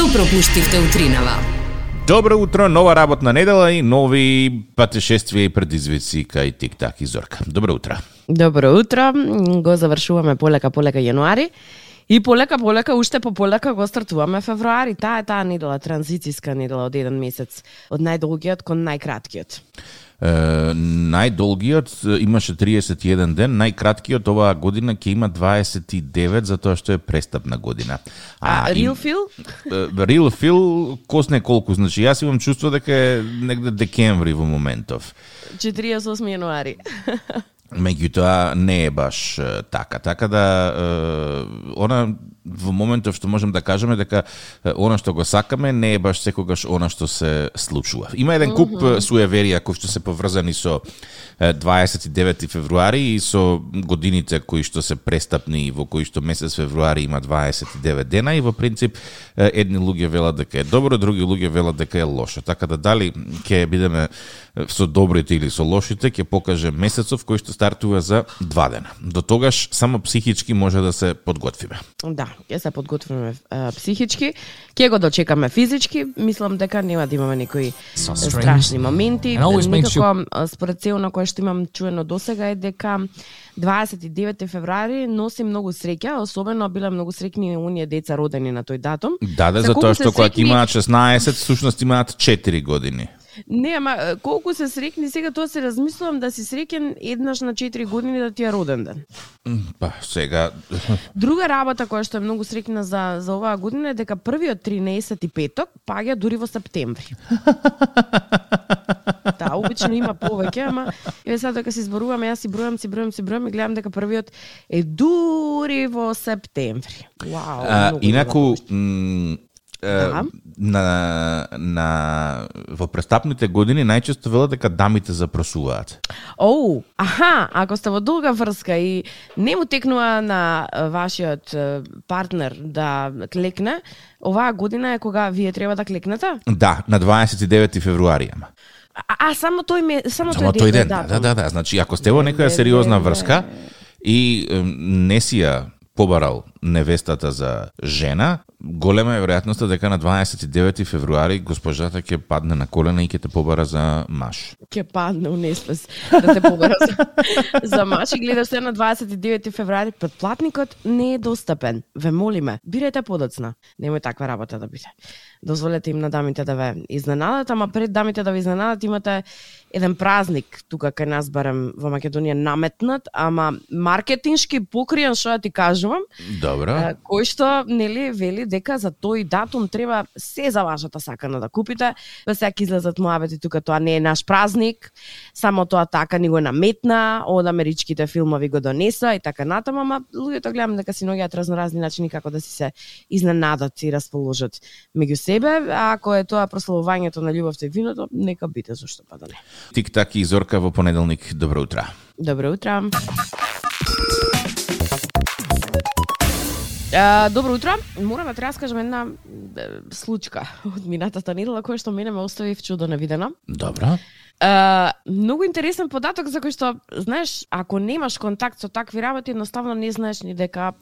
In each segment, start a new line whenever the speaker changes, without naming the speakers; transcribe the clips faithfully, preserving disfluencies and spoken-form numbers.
Што пропуштивте утринава?
Добро утро, нова работна недела и нови патешествија и предизвици кај Тик-так и Зорка. Добро утро.
Добро утро. Го завршуваме полека полека јануари и полека полека уште по полека го стартуваме февруари. Таа е таа недела, транзицијска недела од еден месец, од најдолгиот кон најкраткиот.
Uh, најдолгиот имаше триесет и еден ден, најкраткиот оваа година ќе има дваесет и девет, затоа што е престапна година.
А, а real feel?
Uh, real feel, косне колку, значи јас имам чувство дека е негде декември во моментов.
четириесет и осми јануари.
Меѓутоа не е баш uh, така, така да uh, она во моментов што можем да кажеме дека она што го сакаме не е баш секогаш она што се случува. Има еден куп mm -hmm. суеверија кои што се поврзани со дваесет и девети февруари и со годините кои што се престапни, во кои што месец февруари има дваесет и девет дена и во принцип едни луѓе велат дека е добро, други луѓе велат дека е лошо. Така да дали ќе бидеме со добрите или со лошите, ќе покаже месецов кој што стартува за два дена. До тогаш само психички може да се подготвиме.
Да, ќе се подготвиме а, психички, ќе го дочекаме физички. Мислам дека нема да имаме некои so страшни моменти. Никако you... според цел на кој што имам чуено досега е дека дваесет и девети февруари носи многу среќа, особено биле многу среќни оние деца родени на тој датум.
Да, да, затоа што кога срекни... имаат шеснаесет, всушност имаат четири години.
Не, ама колку се срекни сега, тоа се размислувам да си среќен еднаш на четири години да ти е роден ден.
Па, сега...
Друга работа која што е многу срекна за, за оваа година е дека првиот тринаесети петок паѓа дури во септември. Да, обично има повеќе, ама еве сега дека се изборуваме, јас си бројам, си бројам, си бројам и гледам дека првиот е дури во септември. Вау,
а, инаку
Да.
На, на во престапните години најчесто велат дека дамите запросуваат.
Оу, аха, ако сте во долга врска и не му текнува на вашиот партнер да клекне, оваа година е кога вие треба да клекнете?
Да, на дваесет и девети февруари.
А, а само тој ме, само,
само
тој,
тој
ден,
ден. Да, да, да, да. Значи ако сте во некоја сериозна врска и не си ја побарал невестата за жена, голема е веројатноста дека на дваесет и девети февруари госпожата ќе падне на колена и ќе те побара за маж.
Ќе падне у неспес да те побара за, за маж и гледаш се на дваесет и девети февруари, претплатникот не е достапен. Ве молиме, бирајте подоцна. Немој таква работа да биде. Дозволете им на дамите да ве изненадат, ама пред дамите да ве изненадат имате еден празник тука кај нас барем во Македонија наметнат, ама маркетиншки покриен, што ти кажувам.
Добро.
Кој што нели вели дека за тој датум треба се за вашата сакана да купите, па сега ќе излезат муабети тука, тоа не е наш празник, само тоа така ни го наметна, од америчките филмови го донеса и така натаму, ама луѓето гледам дека си наоѓаат разноразни начини како да си се изненадат и расположат меѓу себе, а ако е тоа прославувањето на љубовта и виното, нека биде, зашто па да не.
Тик-так и Зорка во понеделник. Добро утро.
Добро утро. Uh, добро утро. Морам да ти раскажам една uh, случка од минатата недела која што мене ме остави вчудо невидено.
Добро.
Uh, многу интересен податок за кој што, знаеш, ако немаш контакт со такви работи, едноставно не знаеш ни дека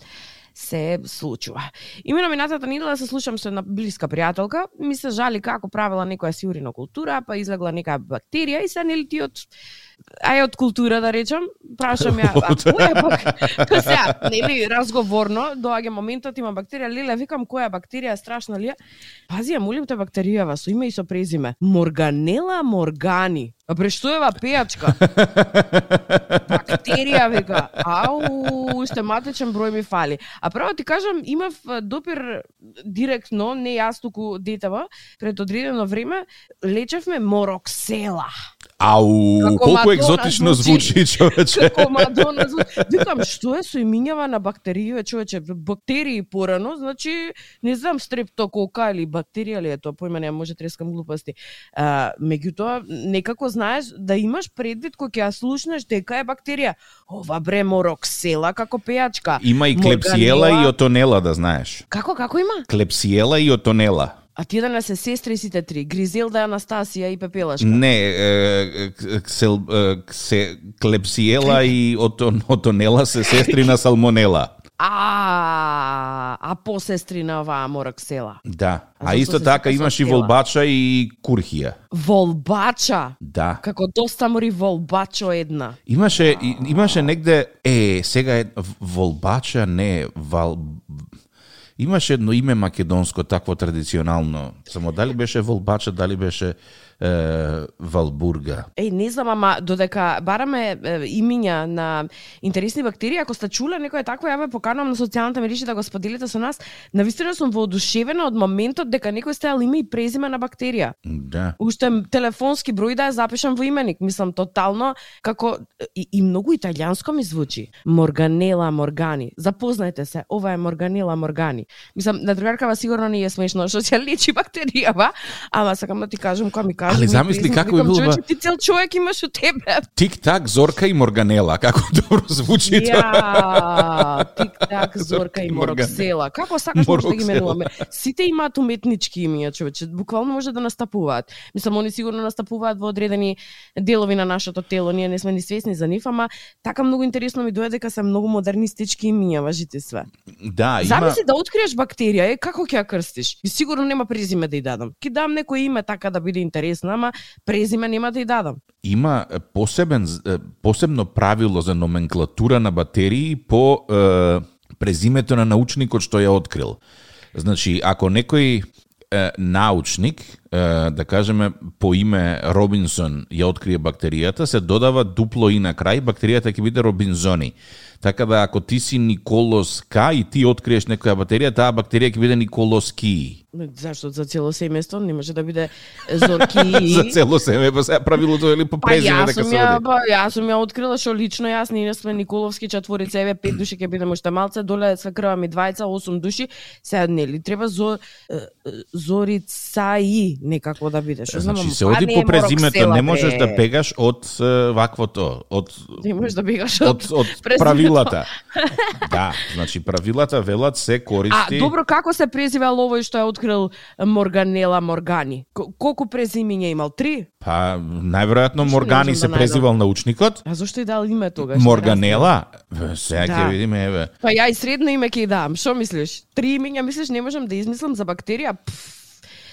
се случува. Имено минатата недела се слушам со една блиска пријателка, ми се жали како правила некоја си уринокултура, па излегла некоја бактерија и се нели ти од ај од култура да речам, прашам ја, а која пак? Сега, нели разговорно доаѓа моментот има бактерија, леле викам која бактерија е страшна ли? Пази ја, молим те бактеријава со име и со презиме. Morganella morgani. А прештоева пејачка. Бактерија вика. Ау, уште матечен број ми фали. А право ти кажам, имав допир директно, не јас туку детева, пред одредено време лечевме мороксела.
Ау, како колку Мадона екзотично звучи, човече.
Како Мадона звучи. Викам, што е со имињава на бактерии, човече, бактерии порано, значи, не знам, стрептокока или бактерија ли е тоа, појма не може трескам глупости. А, меѓутоа, некако знаеш да имаш предвид кој ќе ја слушнеш дека е бактерија. Ова бре мороксела како пејачка.
Има и клепсиела Morganella... и отонела, да знаеш.
Како, како има?
Клепсиела и отонела.
А ти да не се сестри сите три, Гризелда, Анастасија и Пепелашка?
Не, е, ксел, е, ксе, клепсиела и отон, отонела се сестри на салмонела.
А, а посестри на оваа мороксела.
Да.
А
А исто
зашто се
така
сепа со
имаш и
села?
волбача и курхија.
Волбача.
Да.
Како доста мори волбачо една.
Имаше и- имаше негде е сега е волбача не вал имаше едно име македонско такво традиционално. Само дали беше волбача, дали беше е, валбурга.
Еј, не знам, ама додека бараме е, имиња на интересни бактерии, ако сте чуле некој такво, ја ве поканувам на социјалните мрежи да го споделите со нас. Навистина сум воодушевена од моментот дека некој стајал име и презиме на бактерија.
Да.
Уште телефонски број да ја запишам во именик. Мислам, тотално, како... И, и многу италијанско ми звучи. Морганела моргани. Запознајте се, ова е Морганела моргани. Мислам, на другаркава сигурно не е смешно, што ќе лечи бактеријава, ама сакам да ти кажам, кога ми кажа...
Али замисли како би било ба-
Ти цел човек имаш у тебе.
Тик-так, Зорка и Морганела, како добро звучи тоа.
Ја, тик-так, Зорка и
Морган-
Мороксела. Како сакаш може да ги
Мороксела.
менуваме? Сите имаат уметнички имиња, човече. Буквално може да настапуваат. Мислам, они сигурно настапуваат во одредени делови на нашето тело. Ние не сме ни свесни за нив, ама така многу интересно ми дојде дека се многу модернистички имиња, важите све.
Да, има
Замисли да откриеш бактерија, е, како ќе ја крстиш? И сигурно нема презиме да ја дадам. Ки дам некој име така да биде интересно, ама презиме нема да ја дадам.
има посебен е, посебно правило за номенклатура на бактерии по е, презимето на научникот што ја открил. Значи, ако некој е, научник, е, да кажеме по име Робинсон ја открие бактеријата, се додава дупло и на крај, бактеријата ќе биде Робинзони. Така да ако ти си Николос К и ти откриеш некоја бактерија, таа бактерија ќе биде Николос Ки.
Зашто за цело семејство не може да биде Зорки
За цело семе, па сега правилото е ли по
Па
презиме
јас
дека
сум
се
ја,
оди.
па јас сум ја открила што лично јас, ние сме Николовски четворица, еве пет души ќе бидеме уште малце, доле све крва ми двајца, осум души, сега нели треба зо, е, е, Зорица и некако да биде, што знам.
Значи
ама
се
па
оди
не
по
е
презимето,
Мороксела,
не можеш
бре.
да бегаш од е, ваквото, од
Не можеш да бегаш
од,
од,
од
презимето.
правилата. Да, значи правилата велат се
А,
користи.
добро, како се презивал овој што ја открил Морганела Моргани? К- Колку презимиња имал? Три?
Па најверојатно
Ништо не
Моргани
можам
се
да најдам.
презивал научникот.
А зошто и дал име тогаш?
Морганела, Бе, сега ќе
Да.
видиме, еве.
Па ја и средно име ќе ја дам. Што мислиш? Три имиња мислиш не можам да измислам за бактерија? Пф,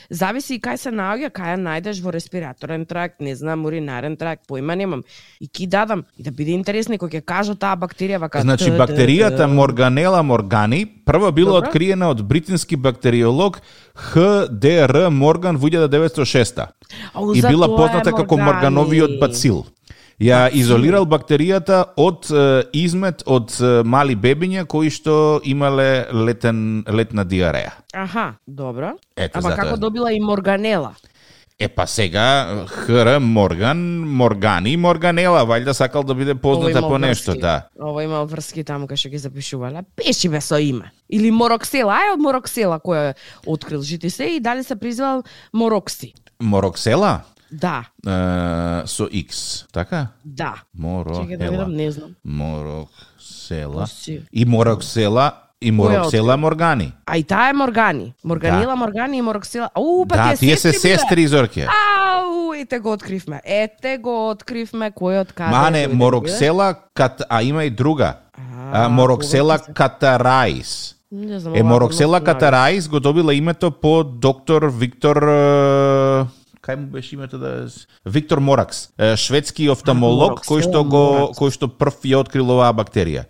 зависи и кај се наоѓа, кај ја најдеш во респираторен тракт, не знам, уринарен тракт, поима немам. И ки дадам и да биде интересно кога ќе кажа таа бактерија вака.
Значи
т, т,
бактеријата
т.
Морганела моргани прво била
Добро.
откриена од британски бактериолог Х Д Р Морган во илјада деветстотини и шеста.
Ау,
И
за
била
тоа е
позната како
Моргани.
Моргановиот бацил. Ја изолирал бактеријата од е, измет од е, мали бебиња кои што имале летен летна диареја.
Аха, добро.
Ето,
Ама
затоа.
како добила и Морганела?
Е па сега Хр Морган, Моргани, Морганела, вајда сакал да биде позната
Ово
по
има
нешто,
врски.
да.
Ово има врски таму кај што ги запишувале. Пеши бе со име. Или Мороксела, ај од Мороксела кој е открил жити се и дали се призвал Морокси.
Мороксела
Да,
е, со X, така?
да. Чекај да
Морохела.
видам, не знам.
Мороксела.
Пусти.
И Мороксела, и Мороксела Моргани.
А и таа е Моргани. Морганила, Моргани и Мороксела. Ау, па
Да,
тие
тие се
сестри биле.
сестри, Зорке.
Ау, ете го откривме. Ете го откривме кој од каде.
Мане,
дојде, биле?
Мороксела, кат, а има и друга. А, Мороксела
повеќе се.
катараис.
Не знам,
Е,
овако
Мороксела
ме
катараис го добила името по доктор Виктор... е, Кај му беше името да... Виктор Моракс, е, шведски офталмолог
Мороксела
кој што го
Моракс.
кој што прв ја открил оваа бактерија.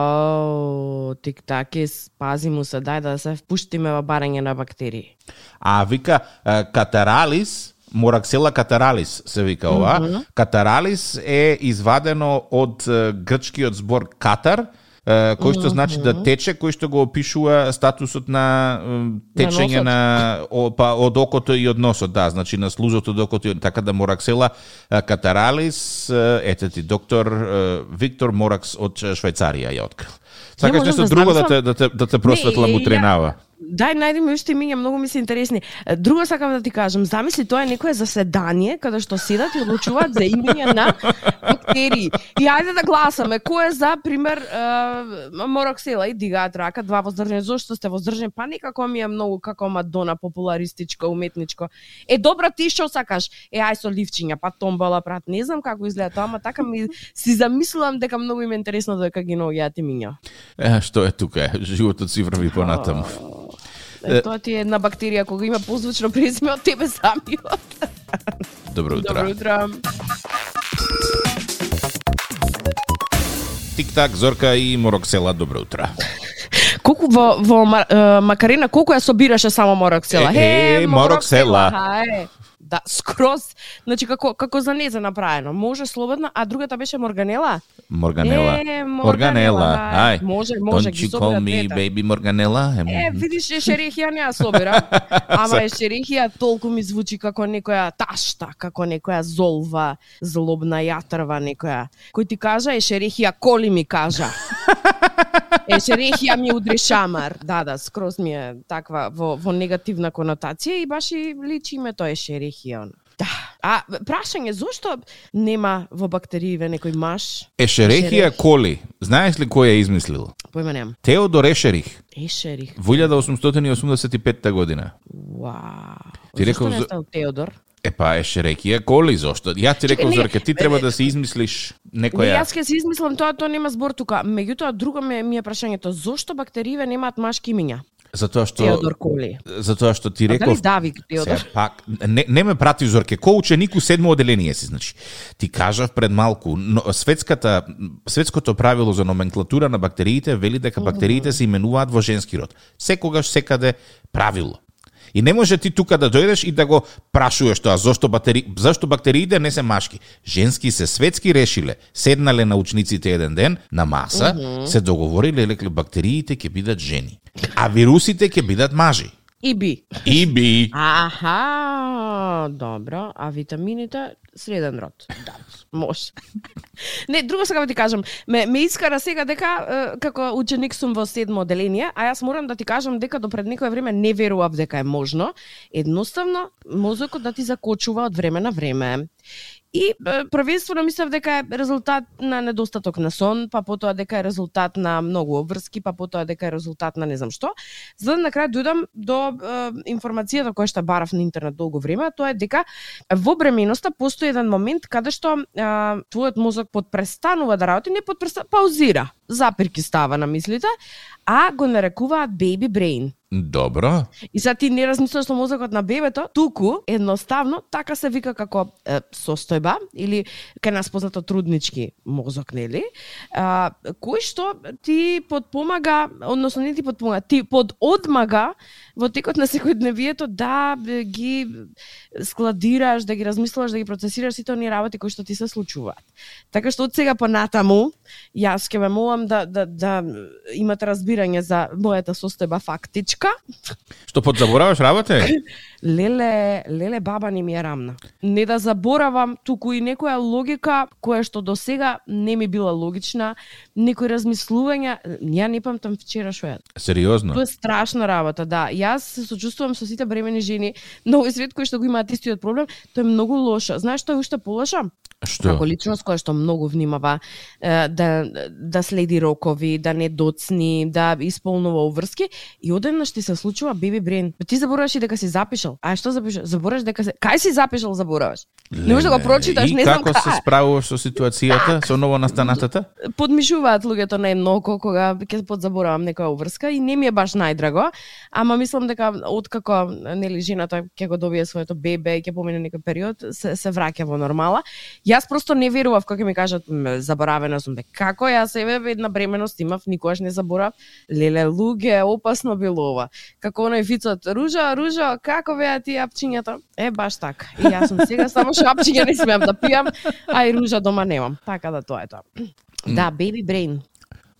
Ау, тик-таки, пази му се, дај да се впуштиме во барање на бактерии.
А вика е, катаралис, Мораксела катаралис се вика ова. Mm -hmm. Катаралис е извадено од е, грчкиот збор катар, е, кој што mm -hmm. значи да тече, кој што го опишува статусот на е, течење
На
на, о, па, од окото и од носот, да, значи на слузот од окото и така да Мораксела е, катаралис, е, ете ти доктор е, Виктор Моракс од Швајцарија ја открил. Сакаш
можам
нешто
да
друго да
замислам-
те да те да те просветлам
Не,
у
ја-
тренава.
Дај, најди ми уште имиња, многу ми се интересни. Е, Друго сакам да ти кажам, замисли тоа е некое заседание каде што седат и одлучуваат за имиња на бактерии. И ајде да гласаме кој е за пример uh, Мороксела и дигаат рака, два воздржани. Зошто сте воздржани? Па некако ми е многу како Мадона, популаристичко, уметничко. Е добро, ти што сакаш? Е ај со ливчиња, па томбала прат. Не знам како изгледа тоа, ама така ми си замислувам дека многу им е интересно дека ги наоѓаат имиња.
Е, што е тука? Животот си врви понатаму.
Е, тоа ти е една бактерија кога има позвучно презиме од тебе самиот.
Добро утро.
Добро утро.
Тик-так, Зорка и Мороксела, добро утро.
Колку во, во Макарена, колку ја собираше само Мороксела?
Е, е, Мороксела.
Хај. Да, скроз, значи како како за незе направено. Може слободно, а другата беше Морганела?
Морганела.
Е,
Морганела. Ај.
Може, може
ги собира. Don't you call me baby Морганела?
Е, видиш, ешерихија не ја собира. Ама ешерихија толку ми звучи како некоја ташта, како некоја золва, злобна јатрва некоја. Кој ти кажа ешерихија, коли ми кажа. Ешерихија ми удри шамар. Да, да, скроз ми е таква во, во негативна конотација и баш и личи името ешерихија. Да. А прашање, зошто нема во бактерииве некој маж?
Ешерихија коли. Знаеш ли кој ја измислил?
Појма немам.
Теодор Ешерих.
Ешерих.
Во илјада осумстотини и осумдесет и петта година.
Вау.
Ти реков
зошто не стал Теодор?
Епа, ешерихија коли, зошто? Ја ти реков, Зорке, ти треба да се измислиш некоја...
Не, јас ќе се измислам тоа, тоа нема збор тука. Меѓутоа, друго ми, ми е прашањето, зошто бактерииве немаат машки имиња?
Затоа што
Теодор Коли.
Затоа што ти реков.
Дали Давид Теодор?
Се, пак не, не ме прати, Зорке, ко ученик у седмо оделение си, значи. Ти кажав пред малку, но светската светското правило за номенклатура на бактериите вели дека бактериите се именуваат во женски род. Секогаш секаде правило. И не може ти тука да дојдеш и да го прашуваш тоа, зошто бактери... зашто бактериите не се машки. Женски се светски решиле. Седнале научниците еден ден на маса, mm-hmm. се договориле лекле бактериите ќе бидат жени, а вирусите ќе бидат мажи.
И би.
И би.
Аха, добро. А витамините среден род. Да, може. Не, друго сега ти кажам. Ме, ме искара сега дека како ученик сум во седмо оделение, а јас морам да ти кажам дека до пред некое време не верував дека е можно. Едноставно, мозокот да ти закочува од време на време. И првенствено мислев дека е резултат на недостаток на сон, па потоа дека е резултат на многу обврски, па потоа дека е резултат на не знам што. За да на крај дојдам до е, информацијата која што барав на интернет долго време, тоа е дека во бременоста постои еден момент каде што е, твојот мозок подпрестанува да работи, не подпрестанува, паузира, запирки става на мислите, а го нарекуваат baby brain.
Добро.
И сега ти не размислуваш со мозокот на бебето, туку едноставно така се вика како е, состојба или кај нас познато труднички мозок, нели? А, кој што ти подпомага, односно не ти подпомага, ти пододмага во текот на секојдневието да ги складираш, да ги размислуваш, да ги процесираш сите оние работи кои што ти се случуваат. Така што од сега понатаму јас ќе ме молам да да да имате разбирање за мојата состојба фактичка.
Што подзабораваш работа?
Леле, леле баба не ми е рамна. Не да заборавам, туку и некоја логика која што до сега не ми била логична, некои размислувања, ја не памтам вчера што е.
Сериозно?
Тоа е страшна работа, да. Јас се сочувствувам со сите бремени жени на овој свет кои што го имаат истиот проблем, тоа е многу лошо. Знаеш што е уште полошо?
Што?
Како личност која што многу внимава е, да да следи рокови, да не доцни, да исполнува обврски и одеднаш ти се случува baby brain. Ти забораваш и дека си запишал. А што запишал? Забораваш дека се кај си запишал, забораваш. Не можеш да го прочиташ,
и
не знам
како
кај.
се справуваш со ситуацијата, со ново настанатата?
Подмишуваат луѓето најмногу кога ќе подзаборавам некоја обврска и не ми е баш најдраго, ама мислам дека откако нели жената ќе го добие своето бебе и ќе помине некој период, се, се враќа во нормала. Јас просто не верував кога ми кажат заборавена сум, дека како јас еве една бременост имав, никогаш не заборав. Леле луѓе, опасно било ова. Како оној вицот, ружа, ружа, како беа ти апчињата? Е баш така. И јас сум сега само шапчиња не смеам да пијам, а и ружа дома немам. Така да тоа е тоа. Да, baby brain.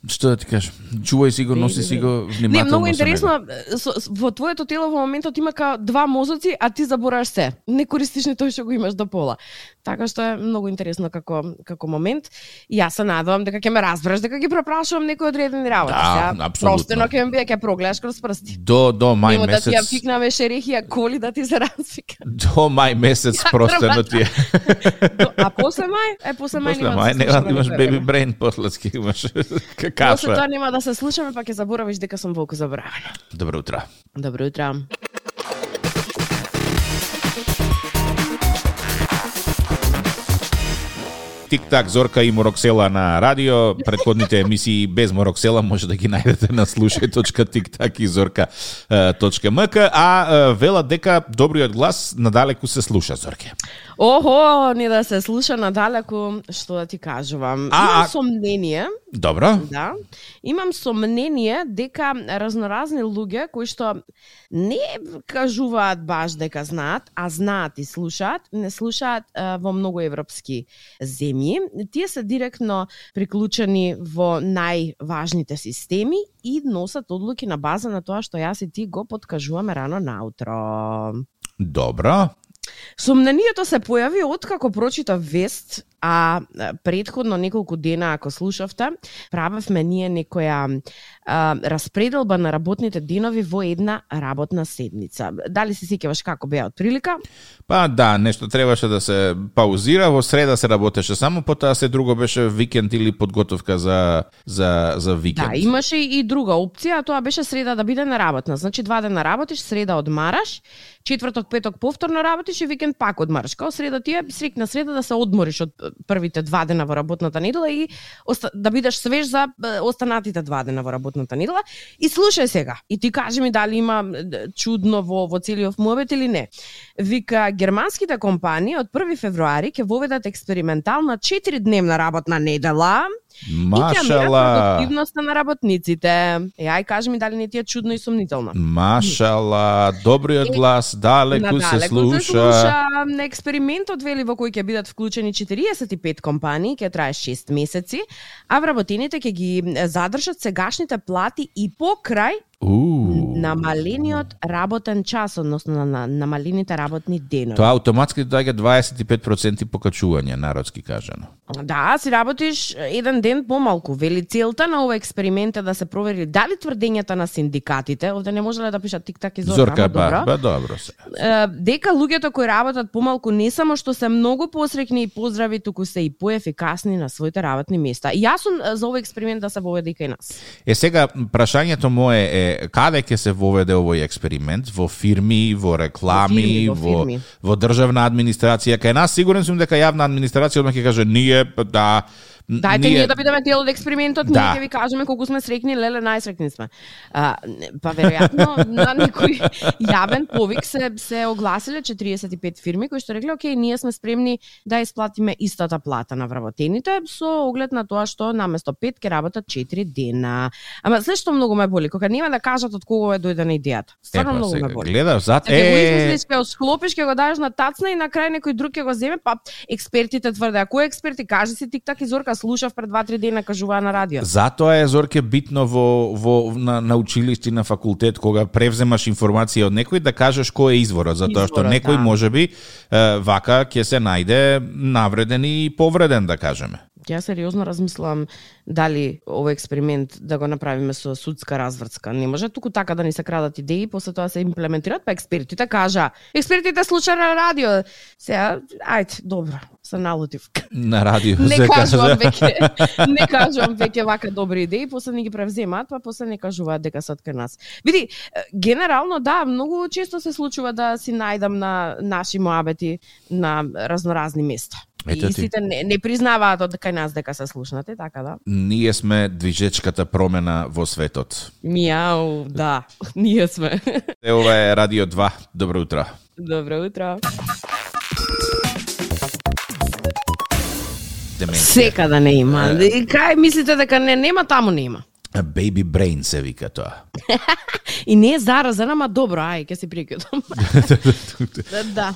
Што да ти кажам? Чувај си го, носи си го внимателно.
Не, многу интересно, со, во твоето тело во моментот има као два мозоци, а ти забораваш се. Не користиш ни тој што го имаш до пола. Така што е многу интересно како како момент. И јас се надевам дека ќе ме разбереш, дека ги препрашувам некои одредени работи.
Да, апсолутно.
Простено ќе ме биде, ќе прогледаш кроз прсти.
До до мај
Нема
месец.
да ти ја пикнаме шерехија коли да ти се развика.
До мај месец простено ти е.
А после мај, е после мај
После мај нема да имаш беби брейн, после ски имаш кафе.
После тоа нема да се слушаме, па ќе заборавиш дека сум волку заборавена.
Добро утро.
Добро утро.
Тик-так, Зорка и Мороксела на радио. Предходните емисии без Мороксела може да ги најдете на слушај точка тик-так и зорка точка ем ка, а велат дека добриот глас надалеку се слуша, Зорке.
Охо, не да се слуша надалеку, што да ти кажувам.
А,
Имам
а...
сомнение.
Добро.
Да. Имам сомнение дека разноразни луѓе кои што не кажуваат баш дека знаат, а знаат и слушаат, не слушаат а, во многу европски земји. Тие се директно приклучени во најважните системи и носат одлуки на база на тоа што јас и ти го подкажуваме рано наутро.
Добро.
Сомнението се појави откако прочитав вест, а предходно неколку дена, ако слушавте, правевме ние некоја а, распределба на работните денови во една работна седница. Дали се сеќаваш како беа од прилика?
Па да, нешто требаше да се паузира, во среда се работеше само, потоа се друго беше викенд или подготовка за за за викенд.
Да, имаше и друга опција, а тоа беше среда да биде неработна. Значи два дена работиш, среда одмараш, четврток, петок повторно работиш и викенд пак одмараш. Као среда ти е срекна среда да се одмориш од првите два дена во работната недела и да бидеш свеж за останатите два дена во работната недела. И слушај сега, и ти кажи ми дали има чудно во, во целиот муабет или не. Вика, германските компании од први февруари ќе воведат експериментална четиридневна работна недела.
Машала.
Продуктивноста на работниците. Е, ај кажи ми дали не ти е чудно и сомнително.
Машала, добриот глас далеку се слуша.
се слуша. На експериментот вели во кој ќе бидат вклучени четириесет и пет компании, ќе трае шест месеци, а вработените ќе ги задржат сегашните плати и покрај
Uh.
намалениот работен час, односно на, на намалените работни денови.
Тоа автоматски доаѓа дваесет и пет проценти покачување, народски кажано.
Да, си работиш еден ден помалку. Вели целта на овој експеримент е да се провери дали тврдењата на синдикатите, овде не можеле да пишат тик-так и Зорка,
Зорка,
добро,
ба, ба, добро се.
дека луѓето кои работат помалку не само што се многу посрекни и поздрави, туку се и поефикасни на своите работни места. И јас сум за овој експеримент да се воведе и кај нас.
Е сега прашањето мое е каде ќе се воведе овој експеримент? Во фирми, во реклами,
во, фирми,
во, во државна администрација? Кај нас сигурен сум дека јавна администрација одма ќе каже ние да
Дајте ние, ние да бидеме дел од експериментот,
да.
ние ќе ви кажеме колку сме срекни, леле најсрекни сме. А, па веројатно на некој јавен повик се се огласиле четириесет и пет фирми кои што рекле окей, ние сме спремни да исплатиме истата плата на вработените со оглед на тоа што наместо пет ќе работат четири дена. Ама се што многу ме боли кога нема да кажат од кого е дојде на идејата. Стварно
Епа,
многу
сега,
ме боли.
Гледаш зад
Ќе го
е
измислиш, ќе го склопиш, ќе го дадеш на тацна и на крај некој друг ќе го земе, па експертите тврде, а кои експерти кажи си тик-так и Зорка слушав пред два-три дена кажуваа на радио.
Затоа е Зорке битно во во на, на училиште на факултет кога превземаш информација од некој да кажеш кој е изворот, затоа што
Изворот,
некој
да.
можеби е, вака ќе се најде навреден и повреден, да кажеме.
Ја сериозно размислувам дали овој експеримент да го направиме со судска развртска. Не може туку така да ни се крадат идеи, после тоа се имплементираат, па експертите кажа. Експертите слушаат на радио. Сега, ајде, добро, се налутив.
На радио
Не
се
кажувам
кажа.
веќе, не кажувам веќе вака добри идеи, после не ги превземаат, па после не кажуваат дека се од кај нас. Види, генерално да, многу често се случува да си најдам на наши моабети на разноразни места.
Ето
и
ти.
сите не, не признаваат од кај нас дека се слушнате, така да.
Ние сме движечката промена во светот.
Мијау, да, ние сме.
Е, ова е Радио два. Добро утро.
Добро утро.
Деменција.
Секада не има. И кај мислите дека не нема, таму нема.
Baby brain се вика тоа.
И не е заразен, ама добро, ај, ќе се прикидам. Да.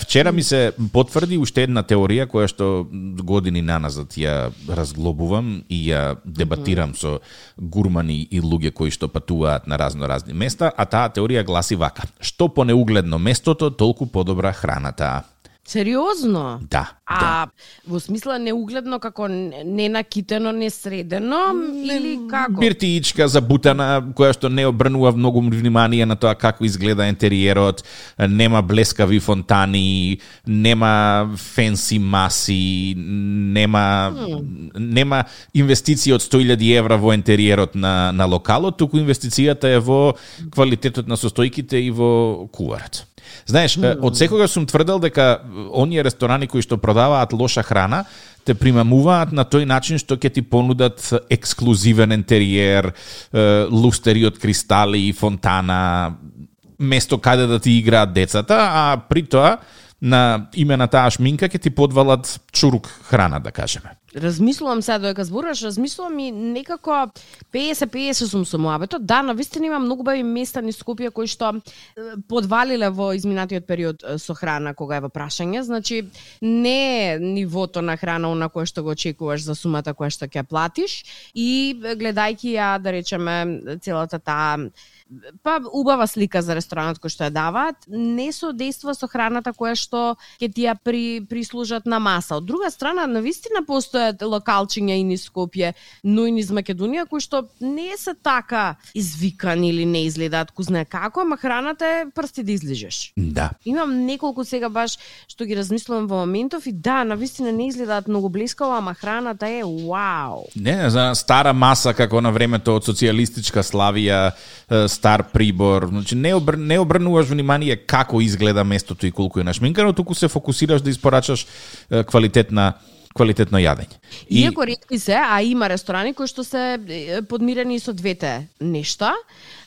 Вчера ми се потврди уште една теорија која што години наназад ја разглобувам и ја дебатирам со гурмани и луѓе кои што патуваат на разно-разни места, а таа теорија гласи вака: што понеугледно местото, толку подобра храната.
Сериозно?
Да.
А
да.
во смисла неугледно како не накитено, не средено или како?
Биртиичка забутана која што не обрнува многу внимание на тоа како изгледа интериерот, нема блескави фонтани, нема фенси маси, нема hmm. нема инвестиција од сто илјади евра во интериерот на на локалот, туку инвестицијата е во квалитетот на состојките и во куварот. Знаеш, mm. од секогаш сум тврдел дека оние ресторани кои што продаваат лоша храна те примамуваат на тој начин што ќе ти понудат ексклузивен интериер, лустери од кристали, фонтана, место каде да ти играат децата, а при тоа на име на таа шминка ќе ти подвалат чурук храна, да кажеме.
Размислувам сега додека зборуваш, размислувам и некако петдесет петдесет сум со мојабето. Да, навистина има многу бави места низ Скопје кои што подвалиле во изминатиот период со храна кога е во прашање. Значи, не е нивото на храна на кое што го очекуваш за сумата која што ќе платиш и гледајќи ја, да речеме, целата таа па убава слика за ресторанот кој што ја даваат, не соодействува со храната која што ќе ти ја при, прислужат на маса. Од друга страна, навистина постојат локалчиња и низ Скопје, но и низ Македонија кои што не се така извикани или не изгледаат ку знае како, ама храната е прсти да излижеш.
Да.
Имам неколку сега баш што ги размислувам во моментов и да, навистина не изгледаат многу блискаво, ама храната е вау.
Не, за стара маса како на времето од социјалистичка Славија, стар прибор, значи не, обр... не обрнуваш внимание како изгледа местото и колку е нашминкано, туку се фокусираш да испорачаш квалитетна квалитетно јадење.
И... Иако ретки се, а има ресторани кои што се подмирени со двете нешта,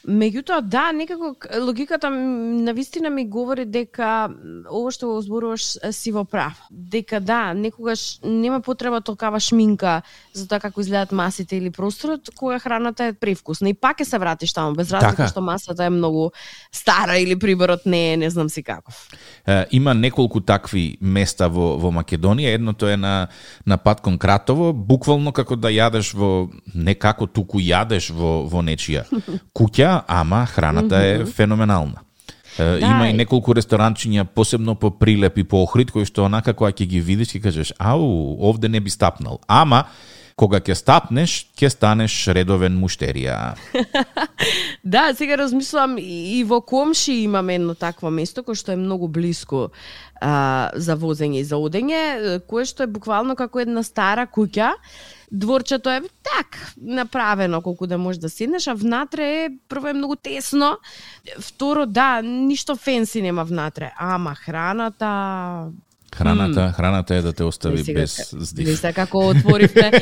меѓутоа да, некако логиката навистина ми говори дека ово што го зборуваш си во прав. Дека да, некогаш нема потреба толкава шминка за тоа како изгледаат масите или просторот, кога храната е превкусна. И пак ќе се вратиш таму, без разлика така, што масата е многу стара или приборот не е, не знам си каков.
Е, има неколку такви места во, во Македонија. Едното е на, на пат кон Кратово, буквално како да јадеш во, не како туку јадеш во, во нечија куќа, ама храната е феноменална. Да, има и неколку ресторанчиња, посебно по Прилеп и по Охрид, кои што онака кога ќе ги видиш, ќе кажеш, ау, овде не би стапнал. Ама, кога ќе стапнеш, ќе станеш редовен муштерија.
Да, сега размислам, и во Комши имаме едно такво место, кое што е многу блиско а, за возење и за одење, кое што е буквално како една стара куќа. Дворчето е так направено колку да можеш да седнеш, а внатре е прво е многу тесно, второ да, ништо фенси нема внатре, ама храната
Храната, mm. храната е да те остави
сега,
без здив.
Веќе како отворивте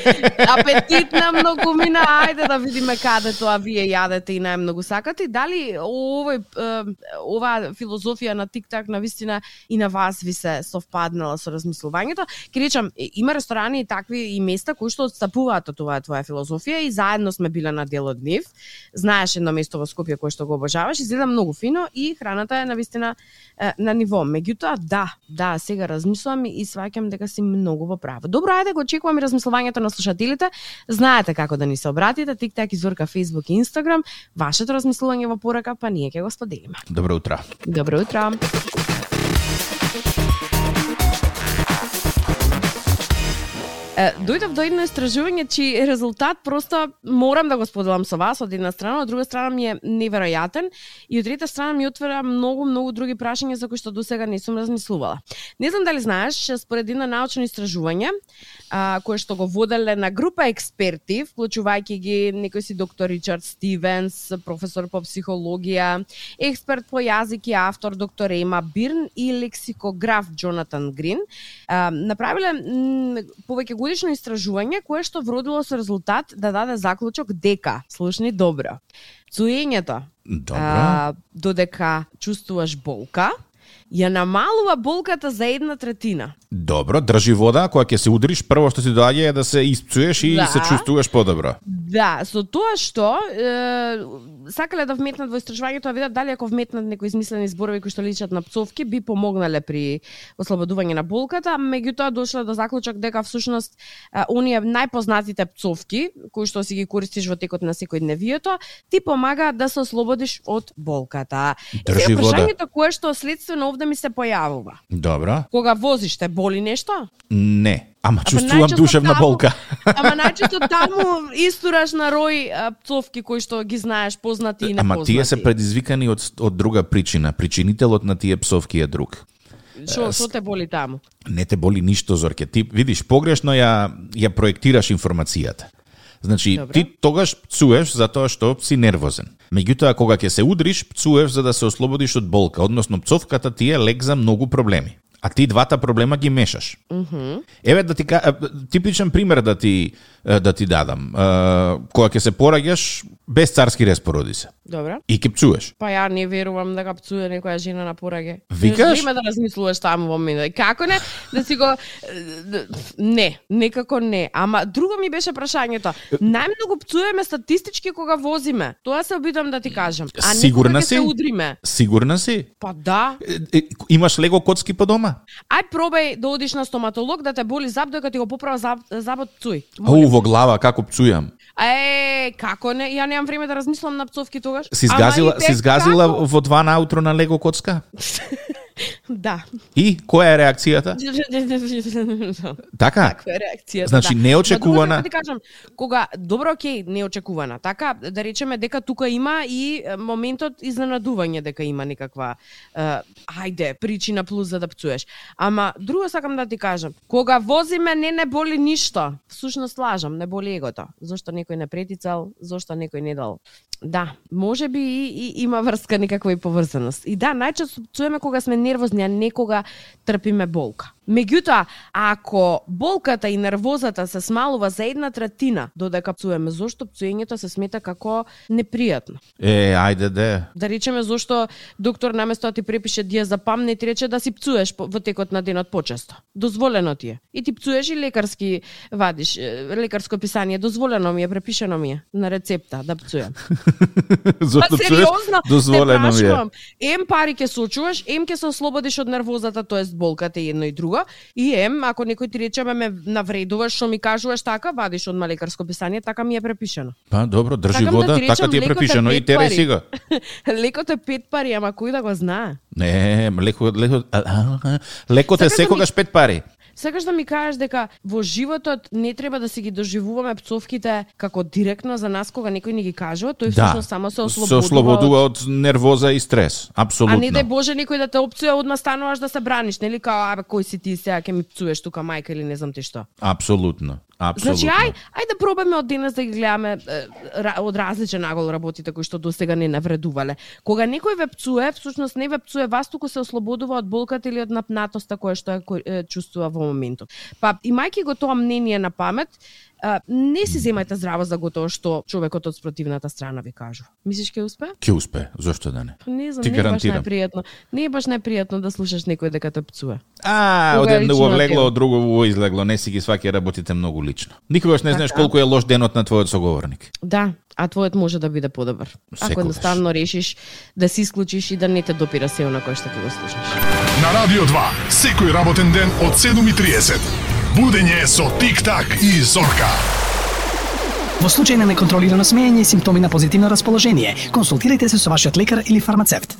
апетитна многумина, ајде да видиме каде тоа вие јадете и најмногу сакате. И дали овој ова филозофија на тик-так навистина и на вас ви се совпаднала со размислувањето? Ке речам, има ресторани и такви и места кои што отстапуваат од тоа твоја филозофија и заедно сме биле на дел од нив. Знаеш едно место во Скопје кое што го обожаваш, изгледа многу фино и храната е навистина на ниво. Меѓутоа, да, да, сега размислувам и сваќам дека си многу во право. Добро, ајде го очекувам и размислувањето на слушателите. Знаете како да ни се обратите, тик-так, Зорка, Facebook и Instagram. Вашето размислување во порака, па ние ќе го споделиме.
Добро утро.
Добро утро. Дојдов до едно истражување, чиј резултат просто морам да го споделам со вас од една страна, од друга страна ми е неверојатен и од трета страна ми отвара многу, многу други прашања за кои што досега не сум размислувала. Не знам дали знаеш, според едно научно истражување, а, кое што го воделе на група експерти, вклучувајќи ги некој си доктор Ричард Стивенс, професор по психологија, експерт по јазик и автор доктор Ема Бирн и лексикограф Джонатан Грин, а, направиле м, повеќе годишно истражување кое што вродило со резултат да даде заклучок дека, слушни добро, цуењето, а, додека чувствуваш болка, ја намалува болката за една третина.
Добро, држи вода, кога ќе се удриш, прво што ти доаѓа е да се испцуеш и да се чувствуваш подобро.
Да, со тоа што е, сакале да вметнат во истражувањето, да видат дали ако вметнат некои измислени зборови кои што личат на пцовки би помогнале при ослободување на болката, меѓутоа дошле до заклучок дека всушност оние најпознатите пцовки кои што си ги користиш во текот на секојдневието ти помагаат да се ослободиш од болката.
Држи вода.
Прашањето кое што следствено овде ми се појавува.
Добро.
Кога возиш те боли нешто?
Не. Ама чувствувам душевна
таму,
болка.
Ама најчесто таму истураш на рој а, пцовки кои што ги знаеш, познати и непознати.
Ама тие се предизвикани од, од друга причина. Причинителот на тие пцовки е друг.
Шо, шо те боли таму?
Не те боли ништо, Зорке. Ти видиш, погрешно ја, ја проектираш информацијата. Значи, Добре. Ти тогаш пцуеш затоа што си нервозен. Меѓутоа, кога ќе се удриш, пцуеш за да се ослободиш од болка. Односно, пцовката ти е лек за многу проблеми. А ти двата проблема ги мешаш.
Mm-hmm.
Еве да ти типичен пример да ти да ти дадам. Кога ќе се пораѓаш, без царски рез породи се.
Добре.
И ќе пцуеш.
Па ја не верувам дека пцуе некоја жена на пораѓај.
Викаш?
Време да размислуваш таму во мене. Како не? Да си го не, некако не. Ама друго ми беше прашањето. Најмногу пцуеме статистички кога возиме. Тоа се обидам да ти кажам. А не кога се удриме.
Сигурна си?
Па да.
Имаш лего коцки по дома?
Ај пробај да одиш на стоматолог да те боли зап додека ти го поправа зап, забот пцуј.
О, во глава како пцујам.
Е, како не? Ја немам време да размислам на пцовки тогаш.
Си згазила, си згазила во два наутро на лего коцка?
Да.
И која е реакцијата? Така?
Каква е реакцијата?
Значи
да.
неочекувана.
Да ти кажам, кога добро окей, неочекувана. Така да речеме дека тука има и моментот изненадување дека има некаква uh, ајде, причина плюс за да пцуеш. Ама друго сакам да ти кажам, кога возиме не не боли ништо. Всушност лажам, не боли егото. Зошто некој не претицал, зошто некој не дал. Да, може би и, и има врска некаква и поврзаност. И да, најчесто пцуеме кога сме нервозни, а не кога трпиме болка. Меѓутоа, ако болката и нервозата се смалува за една третина додека пцуеме, зошто пцуењето се смета како непријатно?
Е, ајде де.
Да речеме зошто доктор наместо да ти препише диазепам не ти рече да си пцуеш во текот на денот почесто. Дозволено ти е. И ти пцуеш и лекарски вадиш, лекарско писание, дозволено ми е, препишено ми е на рецепта да пцуем.
Зошто пцуеш? Дозволено ми е.
Ем пари ќе сочуваш, ем ќе се ослободиш од нервозата, тоест болката и едно и друго. И ем, ако некој ти речеме ме навредуваш, што ми кажуваш така, вадиш од лекарско писание, така ми е препишено.
Па добро, држи
Такам
вода,
да ти речам,
така ти е препишено и тере си го.
Лекот е пет пари, ама кој да го знае?
Не, леко, леко, лекот е секогаш пет пари.
Сакаш да ми кажеш дека во животот не треба да си ги доживуваме пцовките како директно за нас кога некој ни ги кажува, тој всушност да, само се ослободува,
се ослободува од... од нервоза и стрес, апсолутно.
А не дај Боже некој да те опцуе, одма стануваш да се браниш, нели као абе кој си ти сега ќе ми пцуеш тука мајка или не знам ти што.
Апсолутно. Апсолутно.
Значи ај, ај да пробаме од денес да ги гледаме од различен агол работите кои што досега не навредувале. Кога некој ве пцуе, всушност не ве пцуе вас, туку се ослободува од болката или од напнатоста која што е чувствува во моментот. Па имајќи го тоа мнение на памет, Uh, не си земајте здраво за готово што човекот од спротивната страна ви кажува. Мислиш ќе успе?
Ќе успе, зошто да не?
Не знам,
ти
не е баш
гарантирам.
најпријатно. Не е баш најпријатно да слушаш некој дека те пцуе.
А, од едно влегло, од друго во излегло, не си ги сваќа работите многу лично. Никогаш не знаеш колку е лош денот на твојот соговорник.
Да, а твојот може да биде подобар. Ако едноставно решиш да се исклучиш и да не те допира се на кој што ќе го слушаш.
На Радио два, секој работен ден од седум и триесет. Будење со Тик-так и Зорка.
Во случај на неконтролирано смеење и симптоми на позитивно расположение, консултирајте се со вашиот лекар или фармацевт.